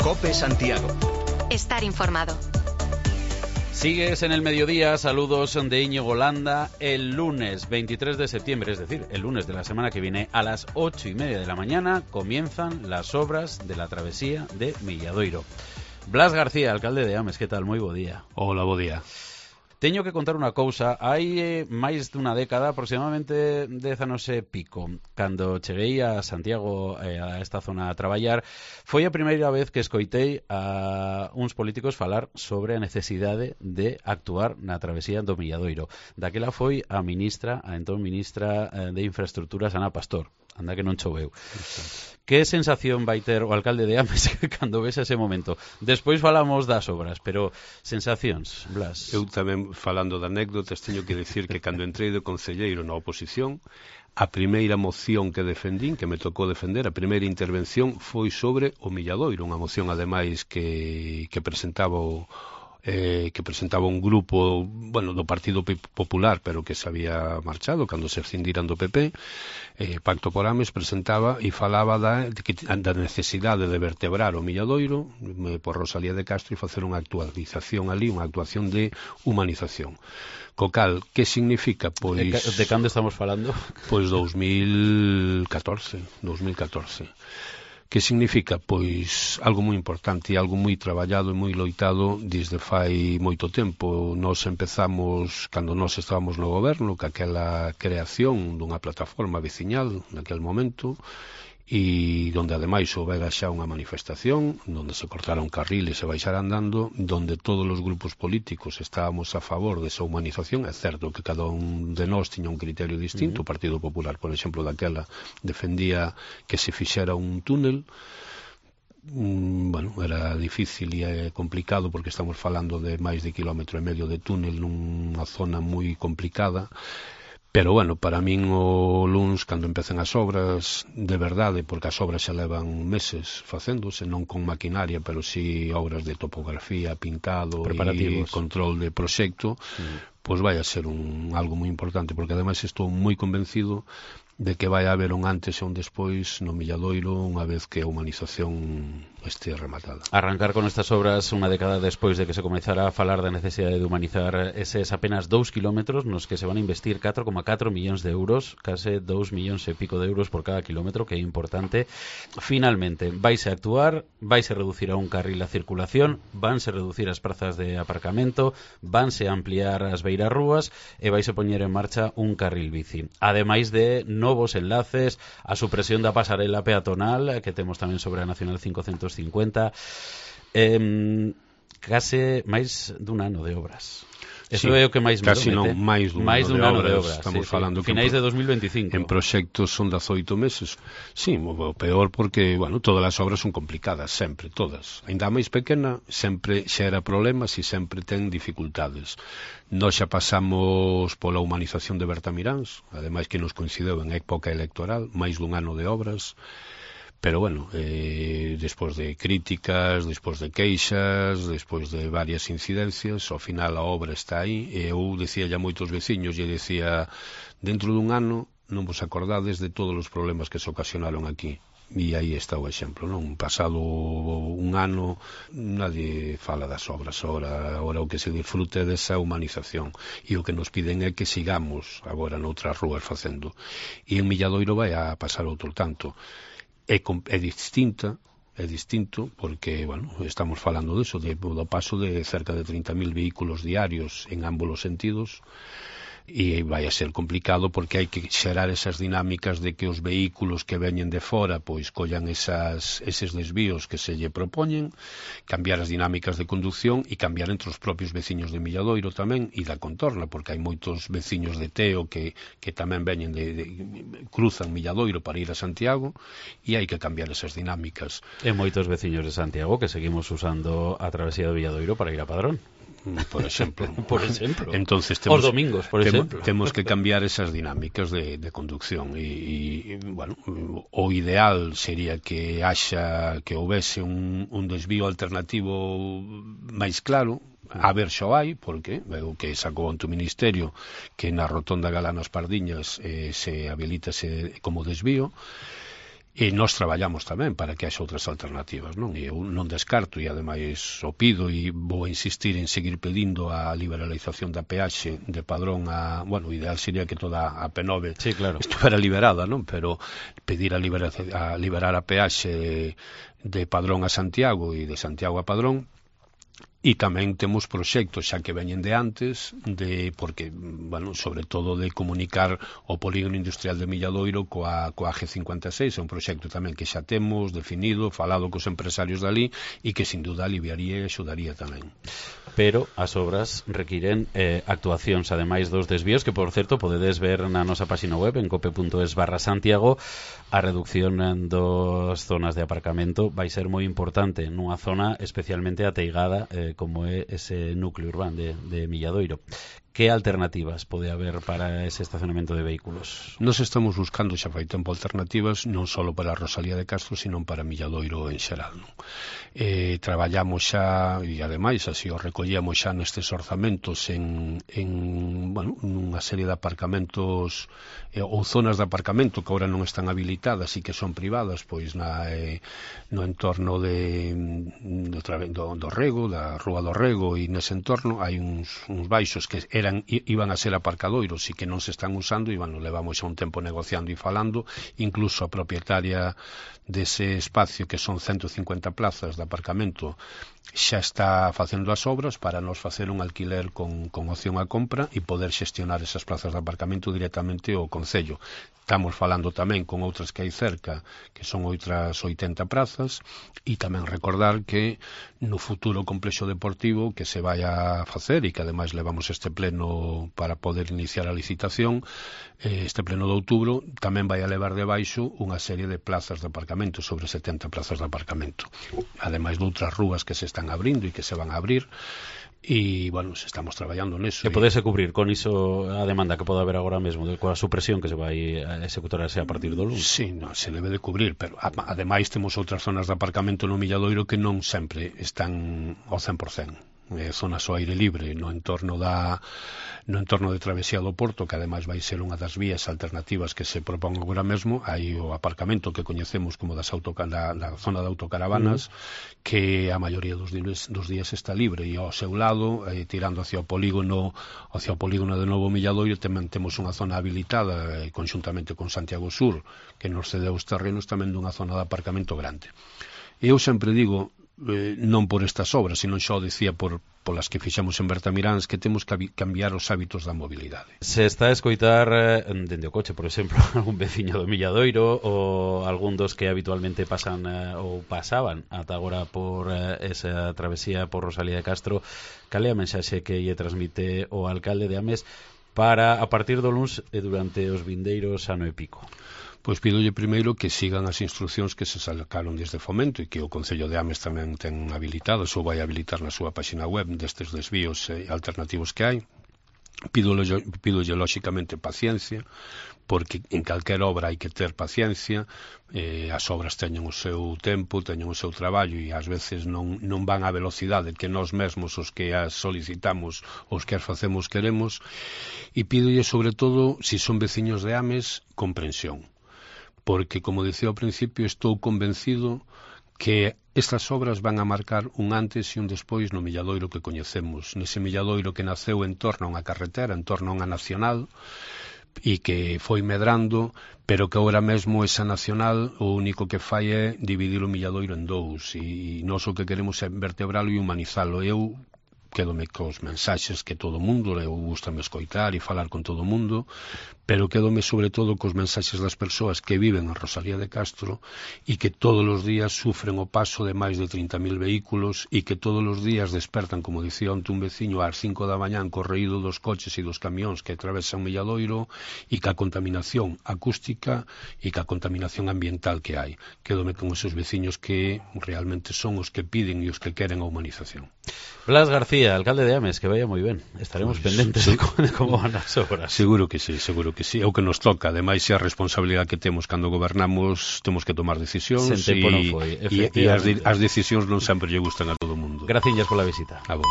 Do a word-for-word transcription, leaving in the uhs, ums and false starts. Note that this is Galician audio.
COPE Santiago. Estar informado. Sigues en el mediodía, saludos de Íñigo Landa. El lunes veintitrés de septiembre, es decir, el lunes de la semana que viene, a las ocho y media de la mañana, comienzan las obras de la travesía de Milladoiro. Blas García, alcalde de Ames, que tal? Moi bo día. Hola, bo día. Teño que contar unha cousa. Hai eh, máis dunha década, aproximadamente dez anos e pico, cando cheguei a Santiago, eh, a esta zona a traballar, foi a primeira vez que escoitei a uns políticos falar sobre a necesidade de actuar na travesía do Milladoiro. Daquela foi a ministra, a entón ministra eh, de Infraestructuras, Ana Pastor. Anda que non choveu. Que sensación vai ter o alcalde de Ames cando ves ese momento? Despois falamos das obras, pero sensacións, Blas. Eu tamén, falando de anécdotas, teño que decir que cando entrei de concelleiro na oposición, a primeira moción que defendín, que me tocou defender, a primeira intervención foi sobre o Milladoiro, unha moción ademais que, que presentaba o Eh, que presentaba un grupo, bueno, do Partido Popular, pero que se había marchado cando se escindiran do P P. eh, Pacto por Ames presentaba e falaba da, da necesidade de vertebrar o Milladoiro eh, por Rosalía de Castro e facer unha actualización ali, unha actuación de humanización. Co cal, que significa? Pois... De, de cando estamos falando? Pois dos mil catorce. Que significa? Pois algo moi importante, algo moi traballado e moi loitado desde fai moito tempo. Nós empezamos, cando nós estábamos no goberno, que aquela creación dunha plataforma veciñal naquel momento, e donde ademais houbera xa unha manifestación, donde se cortaron carriles e baixar andando, donde todos os grupos políticos estábamos a favor desa humanización. É certo que cada un de nós tiña un criterio distinto. Uh-huh. O Partido Popular, por exemplo, daquela defendía que se fixera un túnel. Mm, bueno, era difícil e complicado porque estamos falando de máis de quilómetro e medio de túnel nunha zona moi complicada. Pero, bueno, para min o luns, cando empecen as obras, de verdade, porque as obras xa levan meses facéndose, non con maquinaria, pero si obras de topografía, pintado e control de proxecto, mm. pois vai a ser un algo moi importante, porque ademais estou moi convencido de que vai haber un antes e un despois no Milladoiro unha vez que a humanización este rematada. Arrancar con estas obras unha década despois de que se comezara a falar da necesidade de humanizar eses apenas dous kilómetros nos que se van a investir catro coma catro millóns de euros, case dous millóns e pico de euros por cada kilómetro, que é importante. Finalmente, vaise a actuar, vaise a reducir a un carril a circulación, vanse a reducir as prazas de aparcamento, vanse a ampliar as beirarrúas e vaise a poñer en marcha un carril bici. Ademais de novos enlaces, a supresión da pasarela peatonal que temos tamén sobre a Nacional cincocentos cincuenta, eh, case máis dun ano de obras. Eso sí, é o que máis me casi non, máis dun, máis dun ano de obras. Estamos sí, falando sí. Finais de dos mil veinticinco. En proxectos son dezoito meses. Sí, o peor porque, bueno, todas as obras son complicadas, sempre, todas. Ainda a máis pequena sempre xera problemas e sempre ten dificultades. Nós xa pasamos pola humanización de Bertamiráns, ademais que nos coincideu en época electoral, máis dun ano de obras. Pero, bueno, eh, despois de críticas, despois de queixas, despois de varias incidencias, ao final a obra está aí. E eu dicía ya moitos veciños, e dicía, dentro dun ano non vos acordades de todos os problemas que se ocasionaron aquí. E aí está o exemplo, non? Pasado un ano, nadie fala das obras. Ahora, ahora o que se disfrute desa humanización. E o que nos piden é que sigamos agora noutras rúas facendo. E en Milladoiro vai a pasar outro tanto. É, é distinta, é distinto porque, bueno, estamos falando diso, de, do paso de cerca de trinta mil vehículos diarios en ambos os sentidos, e vai a ser complicado porque hai que xerar esas dinámicas de que os vehículos que veñen de fora pois collan esas, eses desvíos que se lle propoñen, cambiar as dinámicas de conducción e cambiar entre os propios veciños de Milladoiro tamén e da contorna, porque hai moitos veciños de Teo que, que tamén veñen de, de, cruzan Milladoiro para ir a Santiago e hai que cambiar esas dinámicas. E moitos veciños de Santiago que seguimos usando a travesía do Milladoiro para ir a Padrón. Por exemplo. por exemplo. Entonces temos, os domingos, por temo, exemplo. Temos que cambiar esas dinámicas de, de conducción e, e, bueno, o ideal sería que haxa, que houvese un, un desvío alternativo máis claro. A ver xo hai, porque veo que sacou ante o Ministerio que na rotonda Galanas Pardiñas eh, se habilitase como desvío. e nós traballamos tamén para que haxa outras alternativas, non? E eu non descarto, e ademais o pido e vou insistir en seguir pedindo a liberalización da peaxe de Padrón a, bueno, o ideal sería que toda a P nove sí, claro, estuvera liberada, non? Pero pedir a, libera, a liberar a peaxe de Padrón a Santiago e de Santiago a Padrón. E tamén temos proxectos xa que veñen de antes, de porque, bueno, sobre todo de comunicar o polígono industrial de Milladoiro coa, coa G cincuenta e seis, é un proxecto tamén que xa temos definido, falado cos empresarios dali, e que sin duda aliviaría e axudaría tamén. Pero as obras requiren eh, actuacións, ademais dos desvíos, que, por certo, podedes ver na nosa página web en cope punto es barra Santiago. A reducción das zonas de aparcamento vai ser moi importante nunha zona especialmente ateigada eh, como é ese núcleo urbano de, de Milladoiro. Que alternativas pode haber para ese estacionamento de vehículos? Nos estamos buscando xa fai tempo alternativas non só para a Rosalía de Castro, sino para Milladoiro en xeral, non? Eh, traballamos xa, e ademais así o recollemos xa nestes orzamentos en, en bueno, nunha serie de aparcamentos eh, ou zonas de aparcamento que agora non están habilitadas e que son privadas, pois na, eh, no entorno de, do, do, do Rego, da Rúa do Rego, e nese entorno hai uns, uns baixos que eran iban a ser aparcadoiros e que non se están usando, e bueno, levamos xa un tempo negociando e falando, incluso a propietaria dese espacio, que son ciento cincuenta plazas de aparcamento, xa está facendo as obras para nos facer un alquiler con, con opción a compra e poder xestionar esas plazas de aparcamento directamente ao Concello. Estamos falando tamén con outras que hai cerca, que son outras oitenta prazas, e tamén recordar que no futuro complexo deportivo que se vai a facer, e que ademais levamos este pleno para poder iniciar a licitación, este pleno de outubro, tamén vai a levar debaixo unha serie de plazas de aparcamento, sobre setenta plazas de aparcamento, ademais de outras rúas que se están abrindo e que se van a abrir. E, bueno, estamos traballando neso. Que podese cubrir con iso a demanda que pode haber agora mesmo, coa supresión que se vai a executarse a partir do lunes? Sí, no, se debe de cubrir, pero ademais temos outras zonas de aparcamento no Milladoiro que non sempre están ao cen por cen. Eh, zonas ao aire libre no entorno da no entorno de Travesía do Porto, que ademais vai ser unha das vías alternativas que se propón agora mesmo. Hai o aparcamento que coñecemos como das autoca da, da zona de autocaravanas, mm. que a maioría dos días, dos días está libre, e ao seu lado, eh, tirando hacia o polígono hacia o polígono de Novo Milladoiro, tamén temos unha zona habilitada eh, conxuntamente con Santiago Sur, que nos cedeu os terrenos tamén dunha zona de aparcamento grande. E eu sempre digo, Eh, non por estas obras, sino xa o dicía por polas que fixamos en Bertamiráns, que temos que cambiar os hábitos da mobilidade. Se está a escoitar eh, dende o coche, por exemplo, algún veciño do Milladoiro ou algún dos que habitualmente pasan eh, ou pasaban ata agora por eh, esa travesía por Rosalía de Castro, cal é a mensaxe que lle transmite o alcalde de Ames para a partir do luns e durante os vindeiros ano e pico? Pois pídolle primeiro que sigan as instruccións que se sacaron desde Fomento e que o Concello de Ames tamén ten habilitadas ou vai habilitar na súa página web destes desvíos eh, alternativos que hai. Pídole, pídolle lóxicamente paciencia, porque en calquera obra hai que ter paciencia, eh, as obras teñen o seu tempo, teñen o seu traballo, e ás veces non, non van á velocidade que nós mesmos os que as solicitamos, os que as facemos queremos, e pídolle sobre todo, se si son veciños de Ames, comprensión, porque, como dicía ao principio, estou convencido que estas obras van a marcar un antes e un despois no Milladoiro que coñecemos, nese Milladoiro que naceu en torno a unha carretera, en torno a unha nacional, e que foi medrando, pero que agora mesmo esa nacional o único que fai é dividir o Milladoiro en dous, e nós o que queremos é vertebralo e humanizalo. Eu quedome cos mensaxes que todo o mundo, eu gustame escoitar e falar con todo o mundo, pero quedome sobre todo cos mensaxes das persoas que viven en Rosalía de Castro e que todos os días sufren o paso de máis de trinta mil vehículos e que todos os días despertan, como dicía onte un veciño, ás cinco da mañán correído dos coches e dos camións que atravesan Milladoiro, e que a contaminación acústica e que a contaminación ambiental que hai. Quedome con esos veciños que realmente son os que piden e os que queren a humanización. Blas García, alcalde de Ames, que vaya moi ben. Estaremos pues, pendentes sí. de como van as obras. Seguro que sí, seguro que sí. É o que nos toca. Ademais, é a responsabilidade que temos cando gobernamos, temos que tomar decisións, e, non foi, e, e as, as decisións non sempre lle gustan a todo o mundo. Graciñas pola visita. A vos.